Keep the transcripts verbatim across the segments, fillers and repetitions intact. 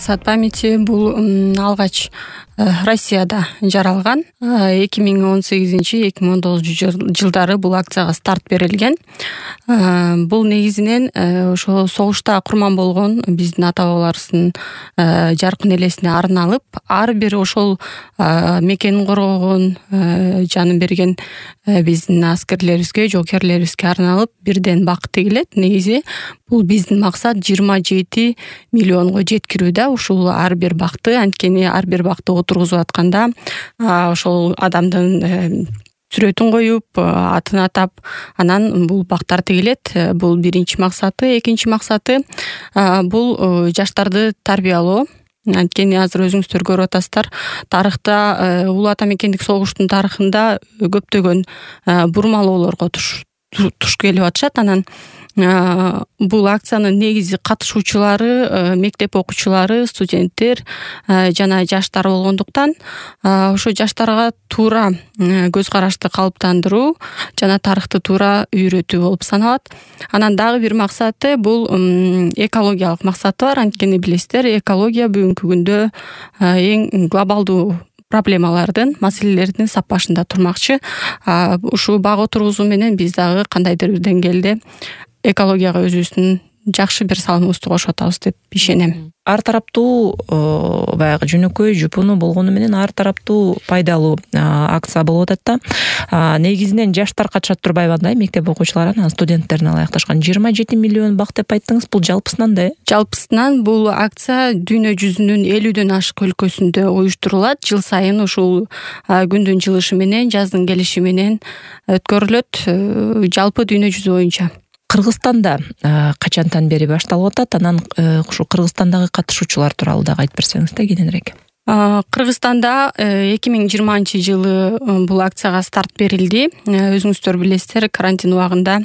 максат памяти бул алгач Россияда жаралган. эки миң он сегизинчи эки миң он тогузунчу жылдары бул акцияга старт берилген. Бул негизинен ошо согушта курман болгон биздин ата бабаларыбыздын жаркын элесине арналып, ар бир ошол мекенин коргогон, жанын берген биздин аскерлерибизге, жоокерлерибизге арналып бирден бак тегилет. Негизи бул биздин максат жыйырма жети миллионго жеткирүү да ушул ар бир бакты. Анткени ар бир бакты отургузуп атканда ошол адамдын сүрөтүн коюп, атын атап, анан бул бактар тегилет. Бул биринчи максаты. Экинчи максаты бул жаштарды тарбиялоо. Анткени азыр өзүңүздөр көрүп атасыздар, тарыхта улуу ата мекендик согуштун тарыхында көптөгөн бурмалоолорго туш туш келип атышат. Анан бул акциянын негизи катышуучулары мектеп окуучулары, студенттер жана жаштар болгондуктан ошо жаштарга туура көз карашты калыптандыруу жана тарыхты туура үйрөтүү болуп саналат. Анан дагы бир максаты бул экологиялык максаты бар. Анткени билесиздер, экология бүгүнкү күндө эң глобалдуу проблемалардын, маселелердин сап башында турмакчы. Ушул бак отургузуу менен биз дагы кандайдыр бир деңгээлде экологияга өзүбүздүн жакшы бир салымыбызды кошуп атабыз деп ишенем. Ар тараптуу баягы жөнөкөй жупуну болгону менен ар тараптуу пайдалуу акция болуп атат да. Негизинен жаштар катышат турбайбы андай, мектеп окуучулары, анан студенттерин алаякташкан. жыйырма жети миллион бак деп айттыңыз, бул жалпысынан да? Жалпысынан бул акция дүйнө жүзүнүн элүүдөн ашык өлкөсүндө уюштурулат. Жыл сайын ушул күндүн жылышы менен, жаздын келиши менен өткөрүлөт жалпы дүйнө жүзү боюнча. Кыргызстанда качантан бери башталып атат? Анан ушу Кыргызстандагы катышуучулар тууралуу дагы айтып берсеңиз да кененирээк. Кыргызстанда эки миң жыйырманчы жылы бул акцияга старт берилди. Өзүңүздөр билесиздер, карантин убагында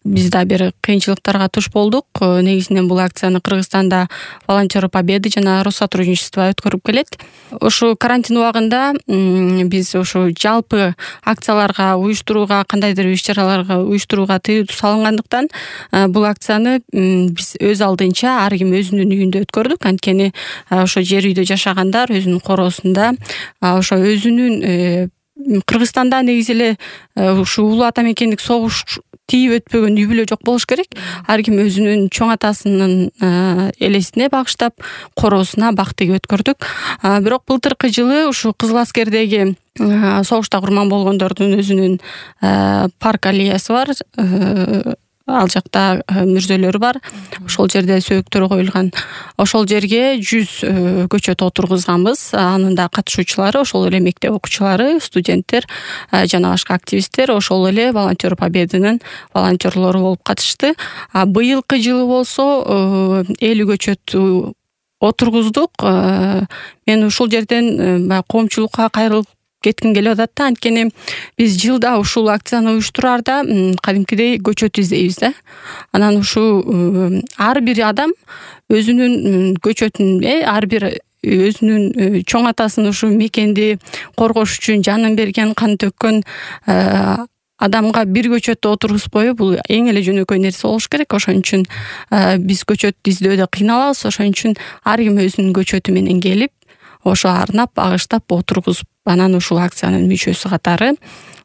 биз да бир кыйынчылыктарга туш болдук. Негизинен бул акцияны Кыргызстанда волонтеры Победы жана Россотрудничество өткөрүп келет. Ошо карантин убагында биз ошо жалпы акцияларга уюштурууга, кандайдыр иш-чараларга уюштурууга тыюу салынгандыктан бул акцияны биз өз алдынча ар ким өзүнүн үйүндө өткөрдүк. Анткени ошо жер үйдө жашагандар өзүнүн короосунда ошо өзүнүн Кыргызстанда негизи эле ушу улуу ата мекендик согуш тийип өтпөгөн үй бүлө жок болуш керек. Ар ким өзүнүн чоң атасынын элесине багыштап, короосуна бак тигип өткөрдүк. Бирок былтыркы жылы ушу Кызыл Аскердеги согушта курман болгондордун өзүнүн парк аллеясы бар. Ал жакта мүрзөлөрү бар. Ошол жерде сөөктөр коюлган. Ошол жерге жүз көчөт отургузганбыз. Анын да катышуучулары ошол эле мектеп окуучулары, студенттер жана башка активисттер, ошол эле волонтер Победынын волонтерлору болуп катышты. А быйылкы жылы болсо элүү көчөт отургуздук. Мен ушул жерден коомчулукка кайрылып кетким келип атат да. Анткени биз жылда ушул акцияны уюштураарда кадимкидей көчөт издейбиз да. Анан ушул ар бир адам өзүнүн көчөтүн, ар бир өзүнүн чоң атасын, ушу мекенди коргош үчүн жанын берген, кан төккөн адамга бир көчөттү отургузуп коюу бул эң эле жөнөкөй нерсе болуш керек. Ошон үчүн биз көчөт издөөдө кыйналабыз. Ошон үчүн ар ким өзүнүн көчөтү менен келип, ошо арнап, багыштап отургузуп, анан ушул акциянын мүчөсү катары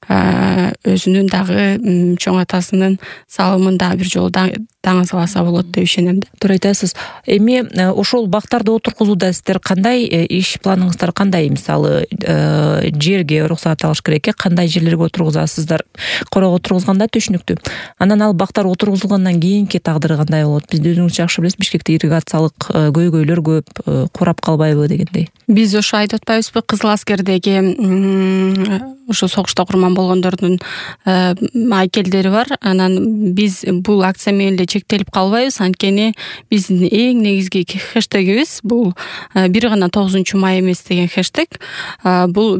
өзүнүн дагы чоң атасынын салымын дагы бир жолу даңазаласа болот деп ишенем да. Туура айтасыз. Эми ошол бактарды отургузууда сиздер кандай иш планыңыздар кандай? Мисалы, жерге уруксат алыш керек, кандай жерлерге отургузасыздар? Корого отургузганда түшүнүктүү. Анан ал бактар отургузулгандан кийинки тагдыры кандай болот? Биз өзүңүз жакшы билесиз, Бишкекте ирригациялык көйгөйлөр көп, курап калбайбы дегендей. Биз ошо айтып атпайбызбы, Кызыл Аскердеги ошо согушта курман болгондордун айкелдери бар. Анан биз бул акция менен эле чектелип калбайбыз. Анткени биздин эң негизги хэштегибиз бул бир гана тогузунчу май эмес деген хэштег. Бул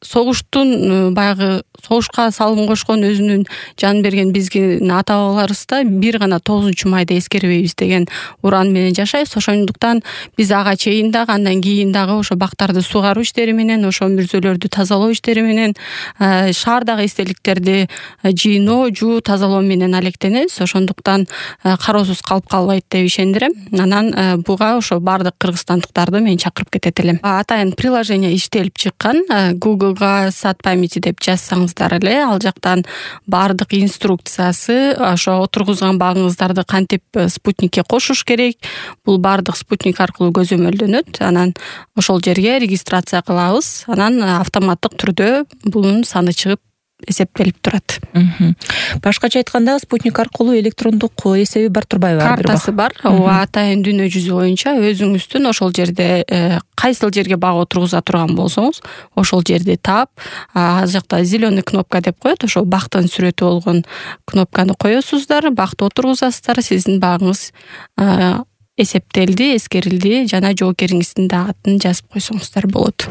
согуштун баягы согушка салым кошкон, өзүнүн жан берген биздин ата бабаларыбыз да бир гана тогузунчу майда эскербейбиз деген уран менен жашайбыз. Ошондуктан биз ага чейин дагы, андан кийин дагы ошо бактарды суугаруу иштери менен, ошо мүрзөлөрдү тазалоо иштери менен, шаардагы эстеликтерди жыйноо, жуу, тазалоо менен алектенебиз. Ошондуктан кароосуз калып калбайт деп ишендирем. Анан буга ошо баардык кыргызстандыктарды мен чакырып кетет элем. Атайын приложение иштелип чыккан. Google'га сад памяти деп жазсаңыздар эле, ал жактан баардык инструкциясы, ошо отургузган багыңыздарды кантип спутникке кошуш керек, бул баардык спутник аркылуу көзөмөлдөнөт. Анан ошол жерге регистрация кылабыз. Анан автоматтык түрдө бунун саны чыгып эсептелип турат. Башкача айтканда, спутник аркылуу электрондук эсеби бар турбайбы? Картасы бар. Ооба, атайын дүйнө жүзү боюнча өзүңүздүн ошол жерде кайсыл жерге бак отургуза турган болсоңуз, ошол жерди таап, ал жакта зеленый кнопка деп коет, ошол бактын сүрөтү болгон кнопканы коесуздар, бакты отургузасыздар, сиздин багыңыз эсептелди, эскерилди жана жоокериңиздин да атын жазып койсоңуздар болот.